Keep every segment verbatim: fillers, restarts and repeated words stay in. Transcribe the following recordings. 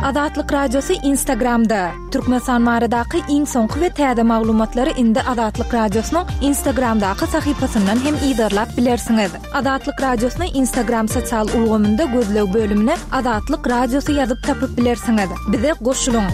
Azatlyk Radiosy Instagramda. Türkmenistan baradaky iň soňky we täze maglumatlary indi Azatlyk Radiosynyň Instagramdaky sahypasyndan hem yzarlap bilersiňiz. Azatlyk Radiosyny Instagram sosial ulgamynda gözleg bölümine Azatlyk Radiosy ýazyp tapyp bilersiňiz. Bize goşulyň.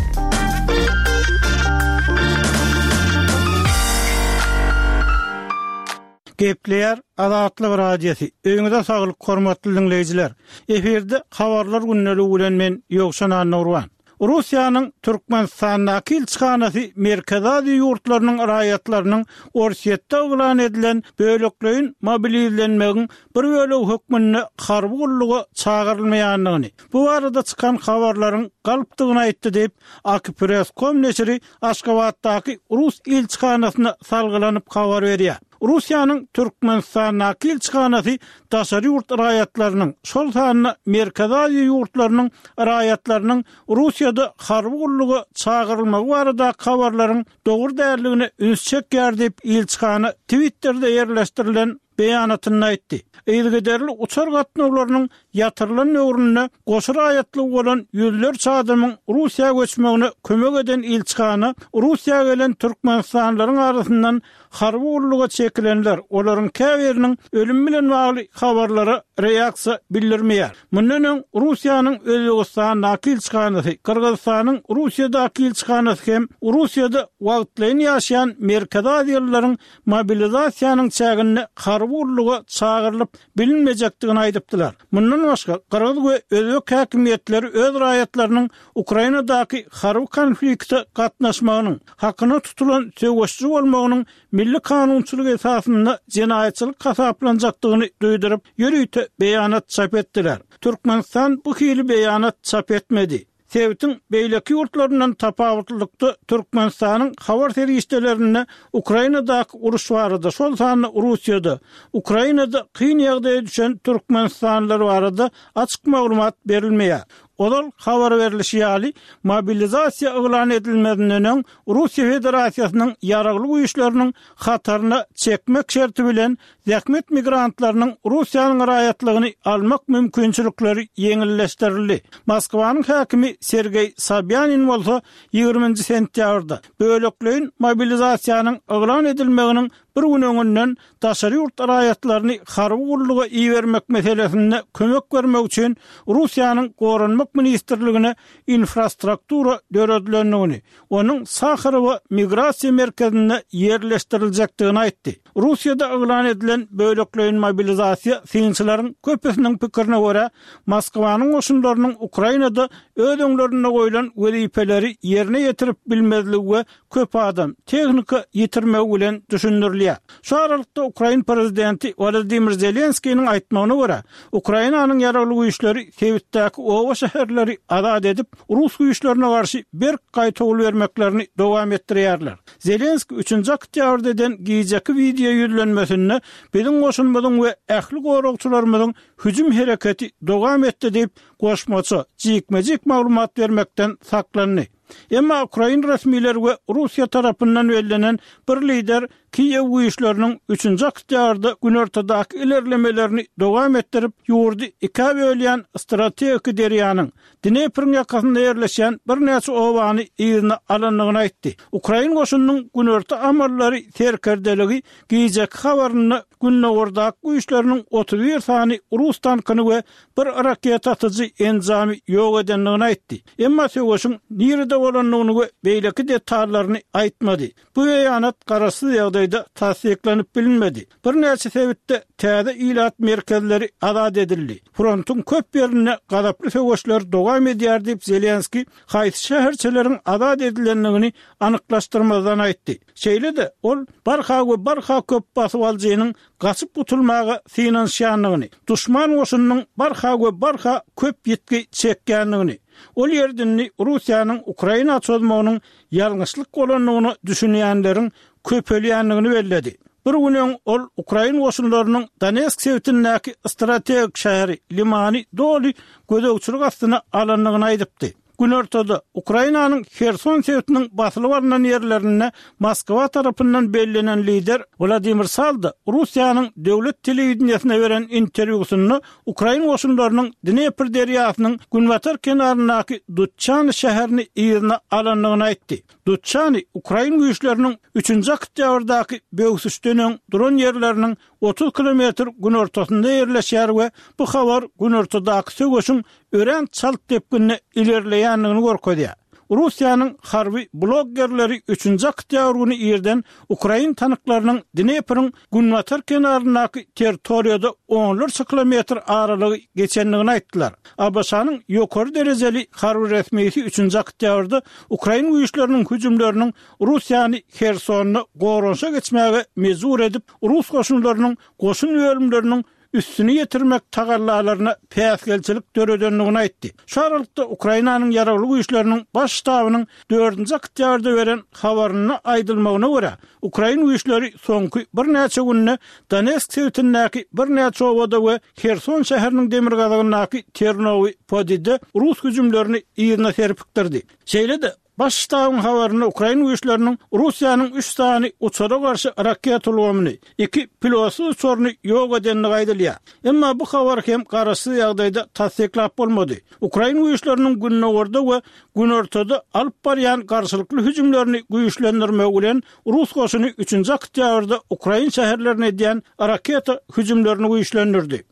Gepleýär Azatlyk Radiosy. Öýüňize saglyk, hormatly diňleýjiler. Efirde habarlar gündeligi bilen men Ýowşan Annagurban. Russiýanyň Türkmenistandaky ilçihanasy Merkezi Aziýa ýurtlarynyň raýatlarynyň Orsýetde yglan edilen bölekleýin mobilizlenmegiň bir bölegi hökmünde harby gulluga çagyrylmaýandygyny, bu barada çykan habarlaryň galpdygyny aýtdy diýip, AKPress.com neşiri Aşgabatdaky rus ilçihanasyna salgylanyp habar berýär. Russiýanyň Türkmenistandaky ilçihanasy daşary ýurt raýatlarynyň, şol sanda Merkezi Aziýa ýurtlarynyň raýatlarynyň Russiýada harby gulluga çagyrylmagy baradaky habarlaryň dogry däldigine üns çekýär diýip, ilçihana Twitterde ýerleşdirilen beýanatynda aýtdy. Yzygiderli uçar gatnawlarynyň ýatyrylan döwründe goşa raýatlygy bolan ýüzlerçe adamyň Russiýa göçmegine kömek eden ilçihana Russiýa gelen türkmenistanlylaryň arasyndan harby gulluga çekilenler, olaryň käbiriniň ölümi bilen bagly habarlara reaksiýa bildirmeýär. Mundan öň Russiýanyň Özbegistandaky ilçihanasy, Gyrgyzystanyň Russiýadaky ilçihanasy hem Russiýada wagtlaýyn ýaşaýan Merkezi Aziýalylaryň mobilizasiýanyň çäginde harby gulluga çagyrylyp bilinmejekdigini aýdypdylar. Mundan başga, gyrgyz we özbek häkimiýetleri öz raýatlarynyň Ukrainadaky harby konflikte gatnaşmagynyň, hakyna tutulan söweşçi bolmagynyň milli kanunçylyk esasynda jenaýatçylyk hasaplanjakdygyny duýduryp, ýörite beýanat çap etdiler. Türkmenistan bu hili beýanat çap etmedi. Sebitiň beýleki ýurtlaryndan tapawutlylykda Türkmenistanyň habar serişdelerinde Ukrainadaky uruş barada, şol sanda Russiýada, Ukrainada kyn ýagdaýa düşen türkmenistanlylar barada açyk maglumat berilmeýär. Ozal habar berlişi ýaly, mobilizasiýa yglan edilmezinden öň Russiýa Federasiýasynyň Ýaragly Güýçleriniň hataryna çekmek şerti bilen zähmet migrantlarynyň Russiýanyň raýatlygyny almak mümkinçilikleri ýeňilleşdirildi. Moskwanyň häkimi Sergeý Sobýanin bolsa ýigriminji sentýabrda bölekleýin mobilizasiýanyň yglan edilmeginiň bir gün öňünden daşary ýurt raýatlaryny harby gulluga ibermek meselesinde kömek bermek üçin Russiýanyň Goranmak ministrligine infrastruktura döredilendigini, onuň Saharowa migrasiýa merkezinde ýerleşdiriljekdigini aýtdy. Russiýada yglan edilen bölekleýin mobilizasiýa synçylaryň köpüsiniň pikirine görä, Moskwanyň goşunlarynyň Ukrainada öz öňlerinde goýlan wezipeleri ýerine ýetirip bilmezligi we köp adam, tehnika ýitirmegi bilen düşündirilýär. Şu aralykda ukrain prezidenti Wolodymyr Zelenskiniň aýtmagyna görä, Ukrainanyň ýaragly güýçleri sebitdäki oba-şäherleri azat edip, rus güýçlerine garşy berk gaýtawul bermeklerini dowam etdirýärler. Zelenski üçünji oktýabrda eden gijeki wideo ýüzlenmesinde biziň goşunymyzyň we ähli goragçylarymyzyň hüjüm hereketi dowam etdi diýip, goşmaça, jikme-jik maglumat bermekden saklandy. Emma ukrain resmileri we Russiýa tarapyndan bellenen bir lider Kiýew güýçleriniň üçünji oktýabrda günortadaky ilerlemelerini dowam etdirip, ýurdy ikä bölýän strategiki derýanyň, Dnepriň ýakasynda ýerleşýän birnäçe obany yzyna alandygyny aýtdy. Ukrain goşunynyň günorta amallary serkerdeligi gijeki habarynda gündogardaky güýçleriniň otuz bir sany rus tankyny we bir raketa atyjy enjamy ýok edendigini aýtdy. Emma söweşiň nirede bolandygyny we beýleki detallaryny aýtmady. Bu beýanat garaşsyz ýagdaýda tassyklanyp bilinmedi. Birnäçe sebitde täze ilat merkezleri azat edildi. Frontuň köp ýerinde gazaply söweşler dowam edýär diýip, Zelenskiý haýsy şäherçeleriň azat edilendigini anyklaşdyrmazdan aýtdy. Şeýle-de, ol barha we barha köp basybalyjynyň gaçyp gutulmaga synanyşýandygyny, duşman goşunynyň barha we barha köp ýitgi çekýändigini, ol ýerde indi Russiýanyň Ukraina çozmagynyň ýalňyşlyk bolandygyna düşünýänleriň köpelýändigini belledi. Bir gün öň ol ukrain goşunlarynyň Donetsk sebitindäki strategik şäheri Limany doly gözegçilik astyna alandygyny aýdypdy. Günortada Ukrainanyň Herson sebitiniň basylyp alnan ýerlerinde Moskwa tarapyndan bellenen lider Wladimir Saldo Russiýanyň döwlet telewideniýesine beren interwýusynda ukrain goşunlarynyň Dnepr derýasynyň günbatar kenaryndaky Dutçany şäherini yzyna alandygyny aýtdy. Dutçany ukrain güýçleriniň üçünji oktýabrdaky böwsüşden öň duran ýerleriniň otuz kilometr günortasynda ýerleşýär we bu habar günortadaky söweşiň örän çalt depginde ilerleýändigini görkezýär. Russiýanyň harby bloggerleri üçünji oktýabr güni irden ukrain tanklarynyň Dnepriň günbatar kenaryndaky territoriýada onlarça kilometr aralygy geçendigini aýtdylar. ABŞ-nyň ýokary derejeli harby resmisi üçünji oktýabrda ukrain güýçleriniň hüjümleriniň Russiýany Hersonda goranyşa geçmäge mejbur edip, rus goşunlarynyň goşun bölümleriniň üstüni ýetirmek tagallalaryna päsgelçilik döredendigini aýtdy. Şu aralykda Ukrainanyň ýaragly güýçleriniň baş ştabynyň dördünji oktýabrda beren habarynda aýdylmagyna görä, ukrain güýçleri soňky birnäçe günde Donetsk sebitindäki birnäçe obada we Herson şäheriniň demirgazygyndaky Ternowy Podide rus hüjümlerini yzyna serpikdirdi. Şeýle-de, Baş ştabyň habarynda ukrain güýçleriniň Russiýanyň üç sany uçara garşy raketa ulgamyny, iki pilotsyz uçaryny ýok edendigi aýdylýar. Emma bu habary hem garaşsyz ýagdaýda tassyklap bolmady. Ukrain güýçleriniň gündogarda we günortada alyp barýan garşylykly hüjümlerini güýçlendirmegi bilen rus goşuny üçünji oktýabrda ukrain şäherlerine edýän raketa hüjümlerini güýçlendirdi.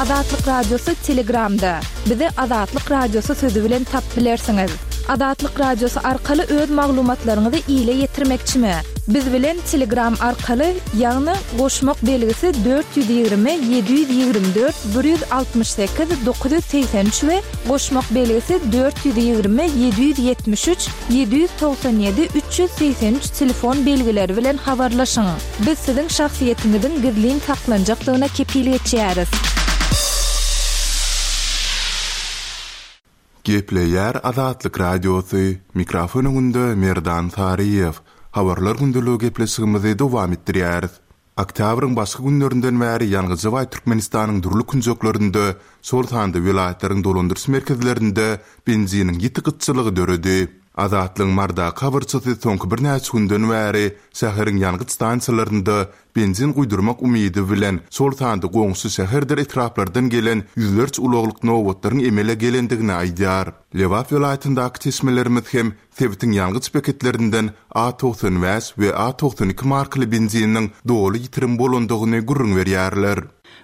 Azatlyk Radiosy Telegramda. Bizi Azatlyk Radiosy sözi bilen tapyp bilersiňiz. Azatlyk Radiosy arkaly öz maglumatlaryňyzy ile ýetirmekçimi? Biz bilen Telegram arkaly, ýagny goşmak belgisi dört ýüz ýigrimi ýedi ýüz ýigrimi dört bir ýüz altmyş sekiz dokuz ýüz segsen üç we goşmak belgisi dört ýüz ýigrimi ýedi ýüz ýetmiş üç ýedi ýüz togsan ýedi üç ýüz segsen üç telefon belgileri bilen habarlaşyň. Biz siziň şahsyýetiňiziň gizlin saklanjakdygyna kepil geçýäris. Gepleýär Azatlyk Radiosy, mikrofon öňünde Merdan Saryýew. Habarlar gündeligi gepleşigimizi dowam etdirýäris. Oktýabryň başky günlerinden bäri ýangyja baý Türkmenistanyň dürli künjeklerinde, şol sanda welaýatlaryň dolandyryş merkezlerinde benziniň ýiti gytçylygy döredi. Azatlygyň Mardaky habarçysy soňky birnäçe günden bäri şäheriň ýangyç stansiýalarynda benzin guýdurmak umydy bilen, şol sanda goňşy şäherdir etraplardan gelen ýüzlerçe ulaglyk nobatlaryň emele gelendigini aýdýar. Lebap welaýatyndaky çeşmelerimiz hem sebitiň ýangyç beketlerinden A togsan bäş we A togsan iki markaly benziniň doly ýitirim bolandygyny gürrüň berýärler.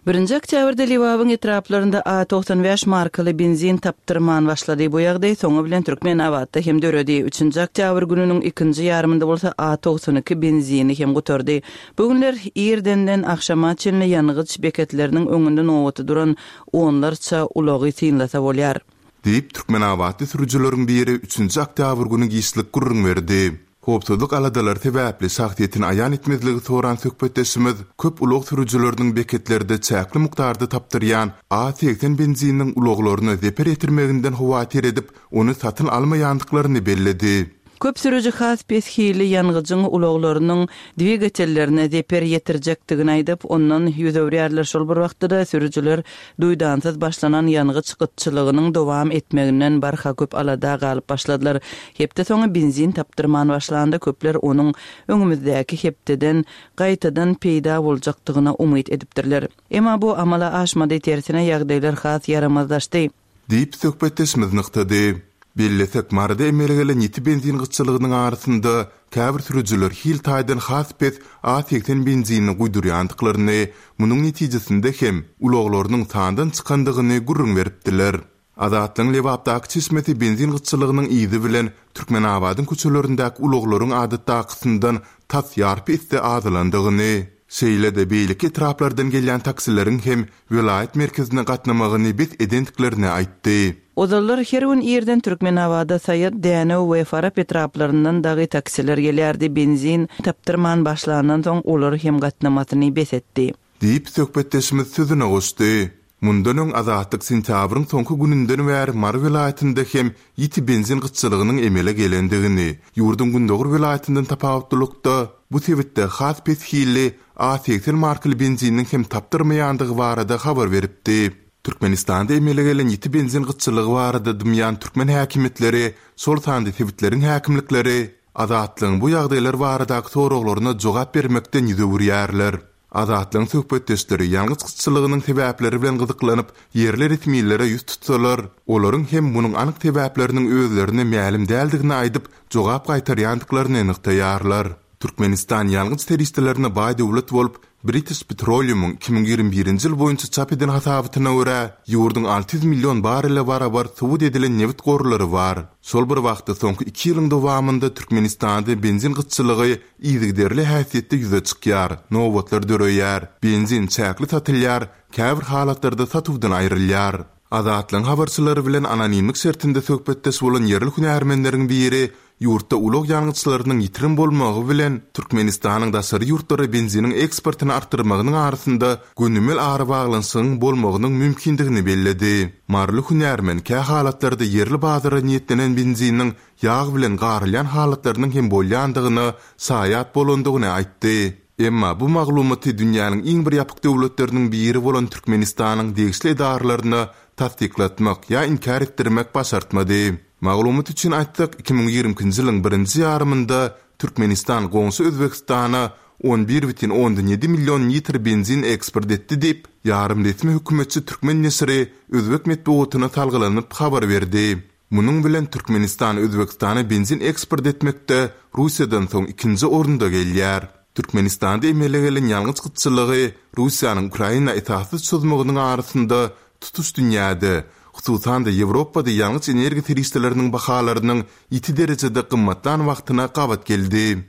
Birinji oktýabrda Lebabyň etraplarynda A togsan bäş markaly benzin tapdyrman başlady. Bu ýagdaý soňy bilen Türkmenabatda hem döredi. Üçünji oktýabr gününiň ikinji ýarymynda bolsa A togsan iki benzini hem gutardy. Bu günler irdenden agşama çenli ýangyç beketleriniň öňünde nobaty duran onlarça ulagy synlasa bolýar. Diýip, Türkmenabatly sürüjileriň biri üçünji oktýabr güni giçlik gürrüň berdi. Howpsuzlyk aladalary sebäpli şahsyýetini aýan etmezligi soran söhbetdeşimiz köp ulag sürüjileriniň beketlerde çäkli mukdarda tapdyrýan A segsen benzininiň ulaglaryna zeper ýetirmeginden howatyr edip, ony satyn almaýandyklaryny belledi. Köp sürüji has pes hili ýangyjyň ulaglarynyň dwigatellerine zeper ýetirjekdigini aýdyp, ondan ýüz öwürýärler. Şol bir wagtda-da sürüjiler duýdansyz başlanan ýangyç gytçylygynyň dowam etmeginden barha köp alada galyp başladylar. Hepde soňy benzin tapdyrman başlanda köpler onuň öňümizdäki hepdeden gaýtadan peýda boljakdygyna umyt edipdirler. Emma bu amala aşmady, tersine ýagdaýlar has ýaramazlaşdy. Diýip söhbetdeşimiz nygtady. Bellesek, Maryda emele gelen ýiti benzin gytçylygynyň arasynda käbir sürüjiler hil taýdan has pes A segsen benzinini guýdurýandyklaryny, munuň netijesinde hem ulaglarynyň sandan çykandygyny gürrüň beripdiler. Azatlygyň Lebapdaky çeşmesi benzin gytçylygynyň yzy bilen Türkmenabadyň köçelerindäki ulaglaryň adatdakysyndan tas ýarpy esse azalandygyny, şeýle-de beýleki etraplardan gelýän taksileriň hem welaýat merkezine gatnamagyny bes edendiklerini aýtdy. Ozallar her gün irden Türkmenabada Saýat, Dänew we Farap etraplaryndan dagy taksiler gelýärdi. Benzin tapdyrman başlandan soň olar hem gatnamasyny bes etdi. Diýip söhbetdeşimiz sözüne goşdy. Mundan öň Azatlyk sentýabryň soňky gününden bäri Mary welaýatynda hem ýiti benzin gytçylygynyň emele gelendigini, ýurduň gündogar welaýatyndan tapawutlylykda bu sebitde has pes hilli A segsen markaly benziniň hem tapdyrmaýandygy barada habar beripdi. Türkmenistanda emele gelen ýiti benzin gytçylygy barada dymýan türkmen häkimiýetleri, şol sanda sebitleriň häkimlikleri Azatlygyň bu ýagdaýlar baradaky soraglaryna jogap bermekden ýüz öwürýärler. Azatlygyň söhbetdeşleri ýangyç gytçylygynyň sebäpleri bilen gyzyklanyp, ýerli resmilere ýüz tutsalar, olaryň hem munuň anyk sebäpleriniň özlerine mälim däldigini aýdyp, jogap gaýtarýandyklaryny nygtaýarlar. Türkmenistan ýangyç serişdelerine baý döwlet bolup, British Petroleum-yň iki müň ýigrimi birinji ýyl boýunça çap eden hasabatyna görä, ýurduň alty ýüz million barrele barabar subut edilen nebit gorlary bar. Şol bir wagtda, soňky iki ýylyň dowamynda Türkmenistanda benzin gytçylygy yzygiderli häsiýetde ýüze çykýar, nobatlar döreýär, benzin çäkli satylýar, käbir halatlarda satuwdan aýrylýar. Azatlygyň habarçylary bilen anonimlik şertinde söhbetdeş bolan ýerli hünärmenleriň biri ýurtda ulag ýangyçlarynyň ýitirim bolmagy bilen Türkmenistanyň daşary ýurtlara benziniň eksportyny artdyrmagynyň arasynda gönümel arabaglanyşygyň bolmagynyň mümkindigini belledi. Maryly hünärmen kä halatlarda ýerli bazara niýetlenen benziniň ýag bilen garylýan halatlarynyň hem bolýandygyna şaýat bolandygyny aýtdy. Emma bu maglumaty dünýäniň iň bir ýapyk döwletleriniň biri bolan Türkmenistanyň degişli edaralaryna tassyklatmak ýa inkär etdirmek başartmady. Maglumat üçin aýtsak, iki müň ýigrimi ikinji ýylyň birinji ýarymynda Türkmenistan goňşy Özbegistana on bir bütin ondan ýedi million litr benzin eksport etdi diýip, ýarym resmi hökümetçi türkmen neşiri özbek metbugatyna salgylanyp habar berdi. Munuň bilen Türkmenistan Özbegistana benzin eksport etmekde Russiýadan soň ikinji orunda gelýär. Türkmenistanda emele gelen ýangyç gytçylygy Russiýanyň Ukraina esassyz çozmagynyň arasynda tutuş dünýäde, hususan-da Ýewropada ýangyç energiýa serişdeleriniň bahalarynyň ýiti derejede gymmatlan wagtyna gabat geldi.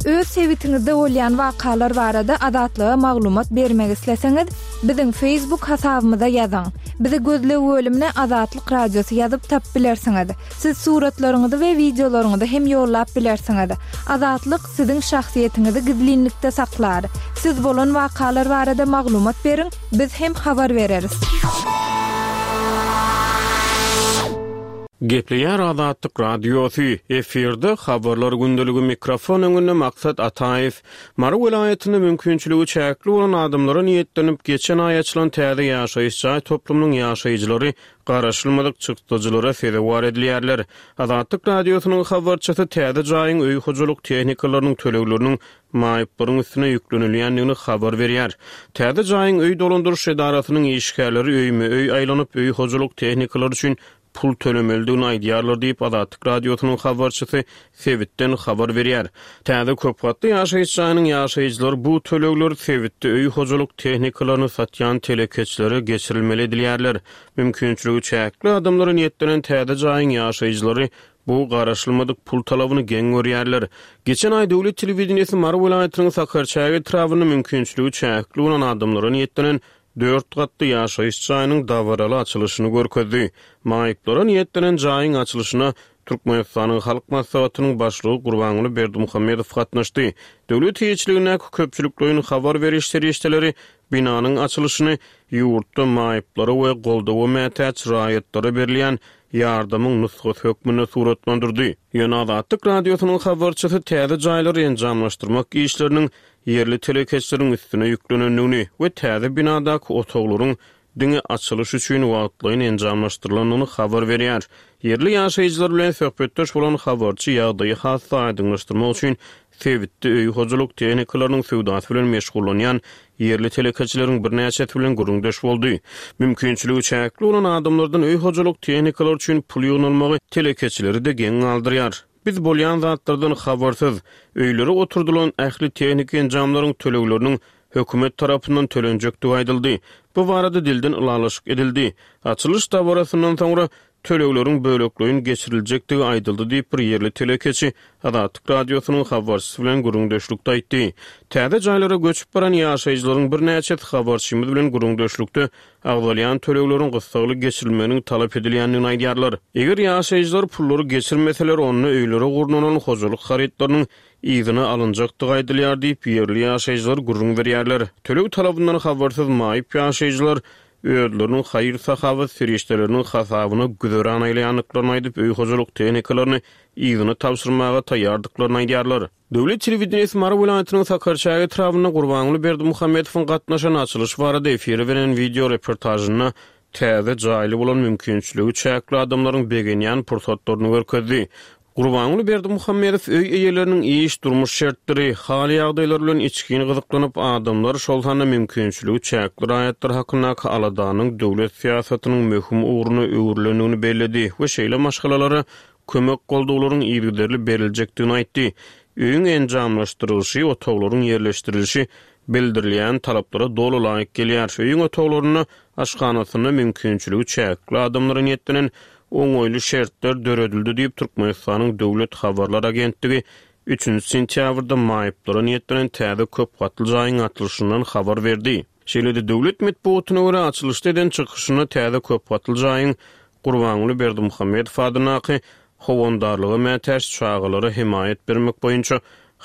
Öz sebitiňizde bolýan wakalar barada Azatlyga maglumat bermek isleseňiz, biziň Facebook hasabymyza ýazyň. Bizi gözleg bölümine Azatlyk Radiosy ýazyp tap bilersiňiz. Siz suratlaryňyzy we wideolaryňyzy hem ýollap bilersiňiz. Azatlyk siziň şahsyýetiňizi gizlinlikde saklar. Siz bolan wakalar barada maglumat beriň, biz hem habar bereris. Gepleýär Azatlyk Radiosy, efirde habarlar gündeligi mikrofon öňünde Maksat Ataýew. Mary welaýatynda mümkinçiligi çäkli bolan adamlara niýetlenip geçen aý açylan täze ýaşaýyş jaý toplumynyň ýaşaýjylary garaşylmadyk çykdajylara sezewar edilýärler. Azatlyk Radiosynyň habarçysy täze jaýyň öý hojalyk tehnikalarynyň tölegleriniň maýyplaryň üstüne ýüklenilýändigini habar berýär. Täze jaýyň öý dolandyryş edarasynyň işgärleri öýme-öý aýlanyp öý hojalyk tehnikalary üçin pul tölemelidigini aýdýarlar diýip Azatlyk Radiosynyň habarçysy sebitden habar berýär. Täze köp gatly ýaşaýyş jaýynyň ýaşaýjylary bu tölegler sebitde öý hojalyk tehnikalaryny satýan telekeçilere geçirilmeli edilýärler. Mümkinçiligi çäkli adamlara niýetlenen täze jaýyň ýaşaýjylary bu garaşylmadyk pul talabyny geň görýärler. Geçen aý döwlet telewideniýesi Mary welaýatynyň Sakarçäge etrabynda mümkinçiligi çäkli bolan adamlara niýetlenen dört gatly ýaşaýyş jaýynyň dabaraly açylyşyny görkezdi. Maýyplara niýetlenen jaýyň açylyşyna Türkmenistanyň Halk Maslahatynyň başlygy Gurbanguly Berdimuhamedow gatnaşdy. Döwlet eýeçiligindäki köpçülikleýin habar beriş serişdeleri binanyň açylyşyny ýurtda maýyplara we goldawa mätäç raýatlara berilýän ýardamyň nusgasy hökmünde suratlandyrdy. Ýöne Azatlyk Radiosynyň habarçysy täze jaýlary enjamlaşdyrmak işleriniň ýerli telekeçileriň üstüne ýüklenendigini we täze binadaky otaglaryň diňe açylyş üçin wagtlaýyn enjamlaşdyrylandygyny habar berýär. Ýerli ýaşaýjylar bilen söhbetdeş bolan habarçy ýagdaýy has aýdyňlaşdyrmak üçin sebitde öý hojalyk tehnikalarynyň söwdasy bilen meşgullanýan ýerli telekeçileriň birnäçesi bilen gürrüňdeş boldy. Mümkinçiligi çäkli bolan adamlardan öý hojalyk tehnikalary üçin pul ýygnalmagy telekeçileri-de geň galdyrýar. Biz bolýan zatlardan habarsyz, öýlere oturdylan ähli tehniki enjamlaryň tölegleriniň hökümet tarapyndan tölenjekdigi aýdyldy. Bu barada dilden ylalaşyk edildi. Açylyş dabarasyndan soňra tölegleriň bölekleýin geçiriljekdigi aýdyldy diýip bir ýerli telekeçi Azatlyk Radiosynyň habarçysy bilen gürrüňdeşlikde aýtdy. Täze jaýlara göçüp baran ýaşaýjylaryň birnäçesi habarçymyz bilen gürrüňdeşlikde agzalýan tölegleriň gyssagly geçirilmeginiň talap edilýändigini aýdýarlar. Eger ýaşaýjylar pullary geçirmeseler, onda öýlere gurnalan hojalyk harytlarynyň yzyna alynjakdygy aýdylýar diýip ýerli ýaşaýjylar gürrüň berýärler. Töleg talabyndan habarsyz maýyp ýaşaýjylar özleriniň haýyr-sahawat serişdeleriniň hasabyna güzeran aýlaýandyklaryny aýdyp, öý hojalyk tehnikalaryny yzyna tabşyrmaga taýýardyklaryny aýdýarlar. Döwlet telewideniýesi Mary welaýatynyň Sakarçäge etrabynda Gurbanguly Berdimuhamedowyň gatnaşan açylyş barada efire beren wideo reportažynda täze jaýly bolan mümkinçiligi çäkli adamlaryň begenýän pursatlaryny görkezdi. Gurbanguly Berdimuhamedow öý eýeleriniň iş, durmuş şertleri, hal-ýagdaýlary bilen içgin gyzyklanyp, adamlar, şol sanda mümkinçiligi çäkli raýatlar hakyndaky aladanyň döwlet syýasatynyň möhüm ugruna öwrülendigini belledi we şeýle maşgalalara kömek-goldawlaryň yzygiderli beriljekdigini aýtdy. Öýüň enjamlaşdyrylyşy, otaglaryň ýerleşdirilişi bildirilýän talaplara doly laýyk gelýär. Öýüň otaglarynda, aşhanasynda mümkinçiligi çäkli adamlara niýetlenen oňaýly şertler döredildi diýip, Türkmenistanyň Döwlet habarlar agentligi üçünji sentýabrda maýyplara niýetlenen täze köp gatly jaýyň açylyşyndan habar berdi. Şeýle-de, döwlet metbugatyna görä, açylyşda eden çykyşynda täze köp gatly jaýyň Gurbanguly Berdimuhamedow adyndaky Howandarlyga mätäç çagalara hemaýat bermek boýunça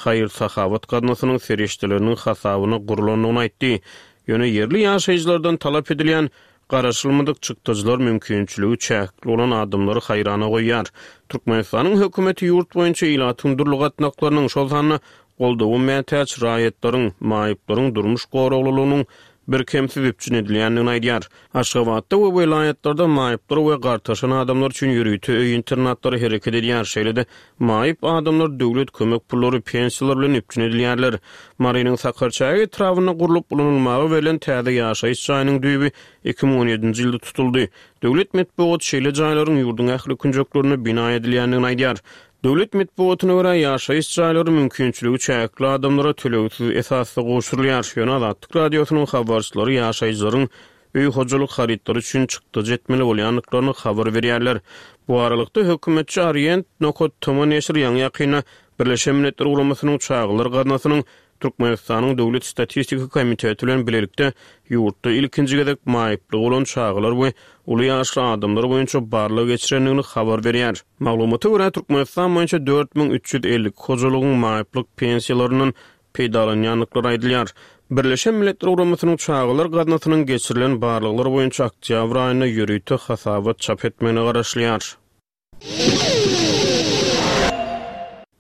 haýyr-sahawat gaznasynyň serişdeleriniň hasabyna gurlandygyny aýtdy. Ýöne ýerli ýaşaýjylardan talap edilýän garaşylmadyk çykdajylar mümkinçiligi çäkli bolan adamlary haýrana goýýar. Türkmenistanyň hökümeti ýurt boýunça ilatyň dürli gatnaklarynyň, şol sanda goldawa mätäç raýatlaryň, maýyplaryň durmuş goraglylygynyň birkemsiz üpjün edilýändigini aýdýar. Aşgabatda we welaýatlarda maýyplar we gartaşan adamlar üçin ýörite öý-internatlary hereket edýär. Şeýle-de, maýyp adamlar döwlet kömek pullary, pensiýalar bilen üpjün edilýärler. Marynyň Sakarçäge etrabynda gurlup ulanylmaga berlen täze ýaşaýyş jaýynyň düýbi iki müň on ýedinji ýylda tutuldy. Döwlet metbugaty şeýle jaýlaryň ýurduň ähli künjeklerinde bina edilýändigini aýdýar. Döwlet metbugatyna görä, ýaşaýyş jaýlary mümkinçiligi çäkli adamlara tölegsiz esasda gowşurylýar. Ýöne Azatlyk Radiosynyň habarçylary ýaşaýjylaryň öý hojalyk harytlary üçin çykdajy etmeli bolýandyklaryny habar berýärler. Bu aralykda, hökümetçi Orient nokat tm neşiri ýaňy-ýakynda Birleşen Milletler Guramasynyň Çagalar gaznasynyň Türkmenistanyň Döwlet statistika komiteti bilen bilelikde ýurtda ilkinji gezek maýyplygy bolan çagalar we uly ýaşly adamlar boýunça barlag geçirendigini habar berýär. Maglumata görä, Türkmenistan boýunça dört müň üç ýüz elli iki hojalygyň maýyplyk pensiýalaryndan peýdalanýandyklary aýdylýar. Birleşen Milletler Guramasynyň Çagalar gaznasynyň geçirilen barlaglar boýunça oktýabr aýynda ýörite hasabat çap etmegine garaşylýar.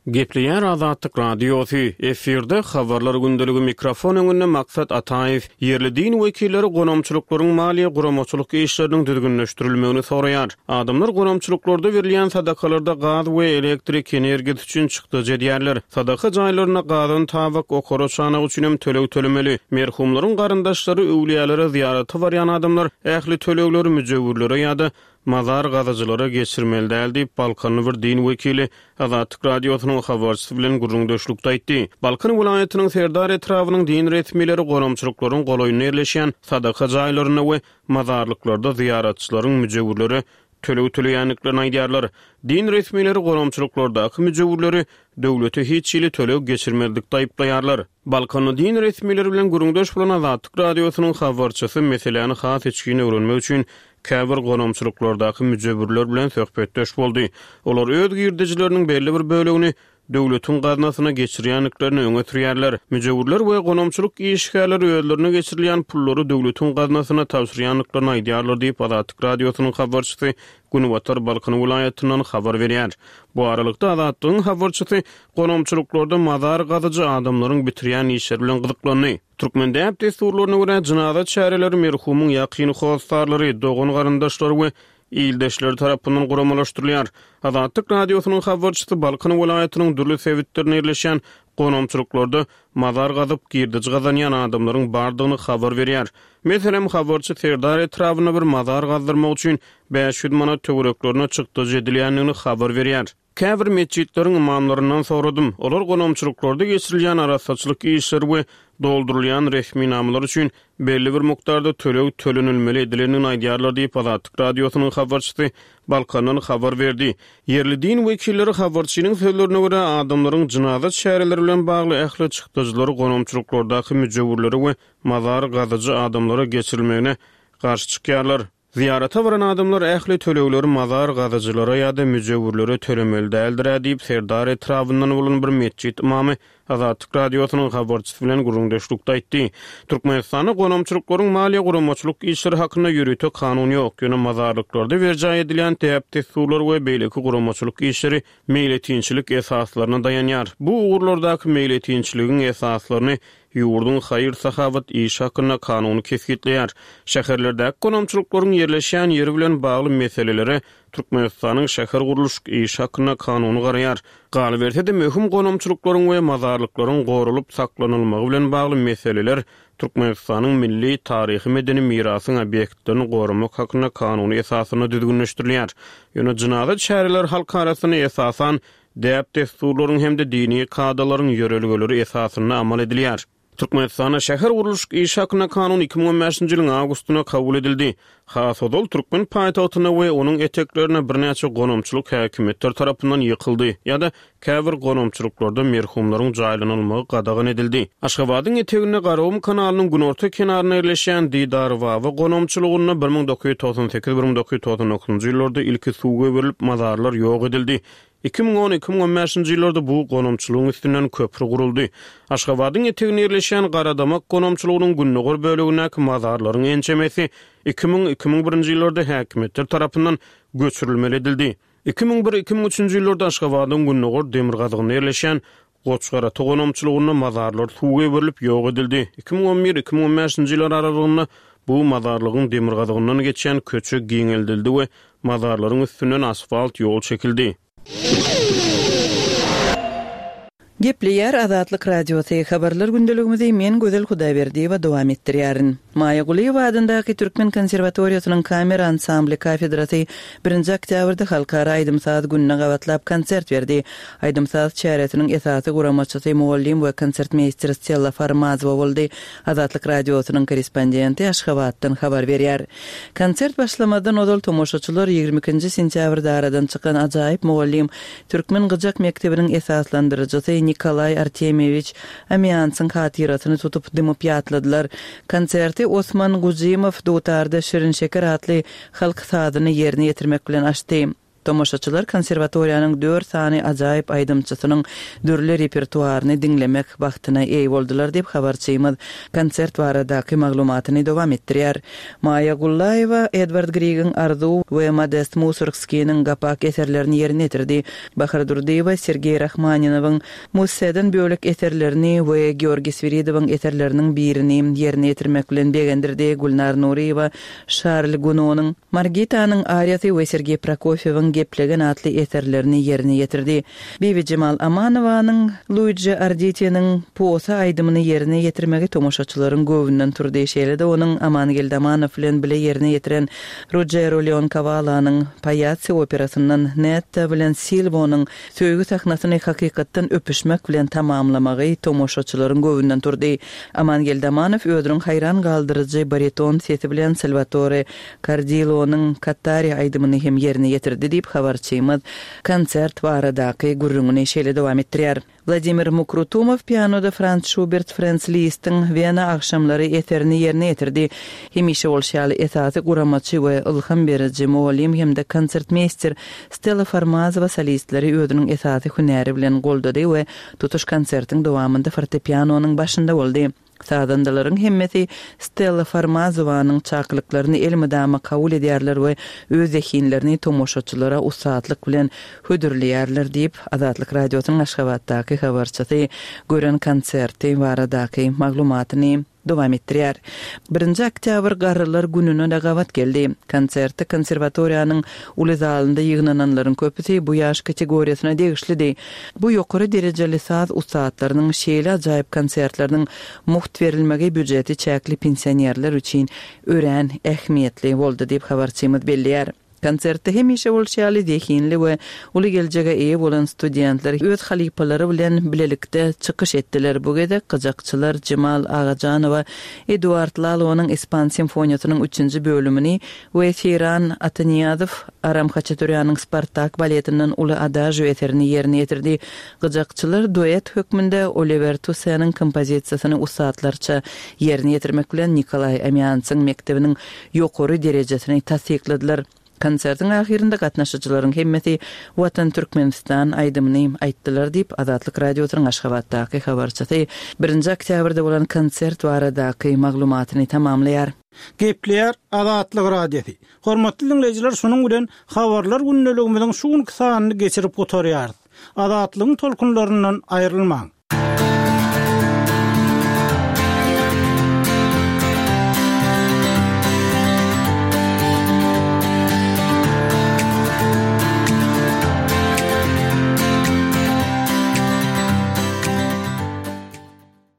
Gepleýär Azatlyk Radiosy, efirde Habarlar gündeligi mikrofon öňünde Maksat Ataýew. Ýerli din wekilleri gonamçylyklaryň maliýe guramaçylyk işleriniň düzgünleşdirilmegini soraýar. Adamlar gonamçylyklarda berilýän sadakalarda gaz we elektrik energiýasy üçin çykdajy edýärler. Sadaka jaýlarynda gazan tabak, okara çanak üçin hem töleg tölemeli. Merhumlaryň garyndaşlary, öwlüýälere zyýarata barýan adamlar ähli tölegleri müjewürlere ýa-da mazar gazyjylara geçirmeli däl diýip, balkanly bir din wekili Azatlyk Radiosynyň habarçysy bilen gürrüňdeşlikde aýtdy. Balkan welaýatynyň Serdar etrabynyň din resmileri gonamçylyklaryň golaýynda ýerleşýän sadaka jaýlarynda we mazarlyklarda zyýaratçylaryň müjewürlere töleg töleýändiklerini aýdýarlar. Din resmileri gonamçylyklardaky müjewürleri döwlete hiç hili töleg geçirmezlikde aýyplaýarlar. Balkanly din resmileri bilen gürrüňdeş bolan Azatlyk Radiosynyň habarçysy meseläni has içgin öwrenmek üçin käbir gonamçylyklardaky müjewürler bilen söhbetdeş boldy. Olar öz girdejileriniň belli bir bölegini döwletiň gaznasyna geçirýändiklerini öňe sürýärler. Müjewürler we gonamçylyk işgärleri özlerine geçirilýän pullary döwletiň gaznasyna tabşyrýandyklaryny aýdýarlar diýip, Azatlyk Radiosynyň habarçysy Günbatar Balkan welaýatyndan habar berýär. Bu aralykda, Azatlygyň habarçysy gonamçylyklarda mazar gazyjy adamlaryň bitirýän işleri bilen gyzyklandy. Türkmen däp-dessurlaryna görä, jynaza çäreleri merhumyň ýakyn hossarlary, dogan-garyndaşlary we ildeşleri tarapyndan guramalaşdyrylýar. Azatlyk Radiosynyň habarçysy Balkan welaýatynyň dürli sebitlerinde ýerleşýän gonamçylyklarda mazar gazyp, girdeji gazanýan adamlaryň bardygyny habar berýär. Meselem, habarçy Serdar etrabynda bir mazar gazdyrmak üçin bäş ýüz manat töwereklerine çykdajy edilýändigini habar berýär. Käbir metjitleriň ymamlaryndan soradym. Olar gonamçylyklarda geçirilýän arassaçylyk işleri we doldurylýan resminamalar üçin belli bir mukdarda töleg tölenilmeli edilendigini aýdýarlar diýip, Azatlyk Radiosynyň habarçysy Balkandan habar berdi. Ýerli din wekilleri habarçynyň sözlerine görä, adamlaryň jynaza çäreleri bilen bagly ähli çykdajylary gonamçylyklardaky müjewürlere we mazar gazyjy adamlara geçirilmegine garşy çykýarlar. Zyýarata baran adamlar ähli tölegleri mazar gazyjylara ýa-da müjewürlere tölemeli däldir-ä diýip, Serdar etrabyndan bolan bir metjit ymamy Azatlyk Radiosynyň habarçysy bilen gürrüňdeşlikde aýtdy. Türkmenistanda gonamçylyklaryň maliýe guramaçylyk işleri hakynda ýörite kanun ýok. Ýöne mazarlyklarda berjaý edilýän däp-dessurlar we beýleki guramaçylyk işleri meýletinçilik esaslaryna daýanýar. Bu ugurlardaky meýletinçiligiň esaslaryny ýurduň haýyr-sahawat işi hakynda kanuny kesgitleýär. Şäherlerdäki gonamçylyklaryň ýerleşýän ýeri bilen bagly meselelere Türkmenistanyň şäher gurluşyk işi hakynda kanuny garaýar. Galyberse-de möhüm gonamçylyklaryň we mazarlyklaryň goralyp saklanylmagy bilen bagly meseleler Türkmenistanyň milli taryhy medeni mirasyň obýektlerini goramak hakynda kanuny esasynda düzgünleşdirilýär. Ýöne jynaza çäreler halk arasynda esasan däp-dessurlaryň hem-de dini kadalaryň ýörelgeleri esasynda amal edilýär. Türkmenistanda şäher gurluşyk işi hakynda kanun iki müň on bäşinji ýylyň awgustynda kabul edildi. Has ozal türkmen paýtagtynda we onuň eteklerine birnäçe gonamçylyk häkimiýetler tarapyndan ýykyldy ýa-da käbir gonamçylyklarda merhumlaryň jaýlanylmagy gadagan edildi. Aşgabadyň eteginde Garagum kanalynyň günorta kenarynda ýerleşýän Didarbaba gonamçylygynda bir müň dokuz ýüz togsan sekiz bir müň dokuz ýüz togsan dokuzynjy ýyllarda ilki suw goýberilip mazarlar ýok edildi. Iki müň on iki müň on bäşinji ýyllarda bu gonamçylygyň üstünden köprü guruldy. Aşgabadyň eteginde ýerleşýän Garadamak gonamçylygynyň gündogar bölegindäki mazarlaryň ençemesi iki müň iki müň birinji ýyllarda häkimiýetler tarapyndan göçürilmeli edildi. Iki müň bir iki müň üçünji ýyllarda Aşgabadyň gündogar demirgazygynda ýerleşýän Goçgarata gonamçylygynda mazarlar suw goýberilip ýok edildi. Iki müň on bir iki müň on bäşinji ýyllar aralygynda bu mazarlygyň demirgazygyndan geçýän köçe giňeldildi we mazarlaryň üstünden asfalt ýol çekildi. Gepleýär Azatlyk Radiosy habarlar gündeligimizi men Gözel Hudaýberdiýewa dowam etdirýärin. Maýa Gulyýewa adyndaky Türkmen konserwatoriýasynyň kamera ansambly kafedrasy birinji oktýabrda Halkara aýdym-saz gününe gabatlap konsert berdi. Aýdym-saz çäresiniň esasy guramaçysy mugallym we konsertmeýster Stella Farmazowa boldy. Azatlyk Radiosynyň korrespondenti Aşgabatdan habar berýär. Konsert başlamazdan ozal tomaşaçylar ýigrimi ikinji sentýabrda aradan çykan ajaýyp mugallym Türkmen gyjak mekdebiniň esaslandyryjysy Nikolaý Artemýewiç Amiansyň hatyrasyny tutup dymyp ýatladylar. Konserti Osman Gujimow dutarda Şirin şeker atly halk sazyny ýerine ýetirmek bilen açdy. Tomaşaçylar konserwatoriýanyň dört sany ajaýyp aýdymçysynyň dürli repertuaryny diňlemek bagtyna eý boldular diýip habarçymyz konsert baradaky maglumatyny dowam etdirýär. Maýa Gullaýewa Edward Grigiň Arzuw we Modest Musorgskiniň Gapak eserlerini ýerine ýetirdi. Bahar Durdyýewa Sergeý Rahmaninowyň Musseden bölek eserlerini we Georgiý Swiridowyň eserleriniň birini ýerine ýetirmek bilen begendirdi. Gülnar Nuryýewa Şarl Gunonyň Margitanyň ariýasy we Sergeý Prokofýewiň Geplegen atly eserlerini ýerine ýetirdi. Bibijemal Amanowanyň Luigi Arditiniň Posa aýdymyny ýerine ýetirmegi tomaşaçylaryň göwnünden turdy. Şeýle-de onuň Amangeldi Amanow bilen bile ýerine ýetiren Ruggiero Leonkawalanyň Paýatsi operasyndan Netta bilen Silwonyň söýgi sahnasyny hakykatdan öpüşmek bilen tamamlamagy tomaşaçylaryň göwnünden turdy. Amangeldi Amanow özüniň haýran galdyryjy bariton sesi bilen Salvatore Kardilonyň Katari aýdymyny hem ýerine ýetirdi diýip habarçymyz konsert baradaky gürrüňini şeýle dowam etdirýär. Wladimir Mukrutumow pianoda Frans Şubert Frans Listiň Wena agşamlary eserini ýerine ýetirdi. Hemişe bolşy ýaly esasy guramaçy we ylham beriji mugallym hem-de konsertmeýster Stella Farmazowa solistleri özüniň esasy hünäri bilen goldady we tutuş konsertiň dowamynda fortepianonyň başynda boldy. Sazandalaryň hemmesi Stella Farmazowanyň çakylyklaryny elmydama kabul edýärler we öz zehinlerini tomaşaçylara ussatlyk bilen hödürleýärler diýip, Azatlyk Radiosynyň Aşgabatdaky habarçysy gören konserti baradaky maglumatyny dowam etdirýär. Birinji oktýabr Garrylar gününe de gabat geldi. Konsertde konserwatoriýanyň uly zalynda ýygnananlaryň köpüsi bu ýaş kategoriýasyna degişlidi. Bu ýokary derejeli saz ussatlarynyň şeýle ajaýyp konsertleriniň mugt berilmegi býujeti çäkli pensionerler üçin örän ähmiýetli boldy diýip habarçymyz belleýär. Konsertde hemişe bolşy ýaly zehinli we uly geljege eýe bolan studentler öz halypalary bilen bilelikde çykyş etdiler. Bu gezek gyjakçylar Jemal Agajanowa Eduard Lalonyň Ispan simfoniýasynyň üçünji bölümini we Seyran Atanyýazow Aram Haçaturýanyň Spartak baletinden uly adagio eserini ýerine ýetirdi. Gyjakçylar duet hökmünde Oliver Tussenyň kompozisiýasyny ussatlarça ýerine ýetirmek bilen Nikolaý Amiansyň mekdebiniň ýokary derejesini tassykladylar. Konsertiň ahyrynda gatnaşyjylaryň hemmesi Watan Türkmenistan aýdymyny aýtdylar diýip, Azatlyk Radiosynyň Aşgabatdaky habarçysy birinji oktýabrda bolan konsert baradaky maglumatyny tamamlaýar. Gepleýär Azatlyk Radiosy. Hormatly diňleýjiler, şunuň bilen Habarlar gündeligimiziň şu günki sanyny geçirip gutarýarys. Azatlygyň tolkunlaryndan aýrylmaň.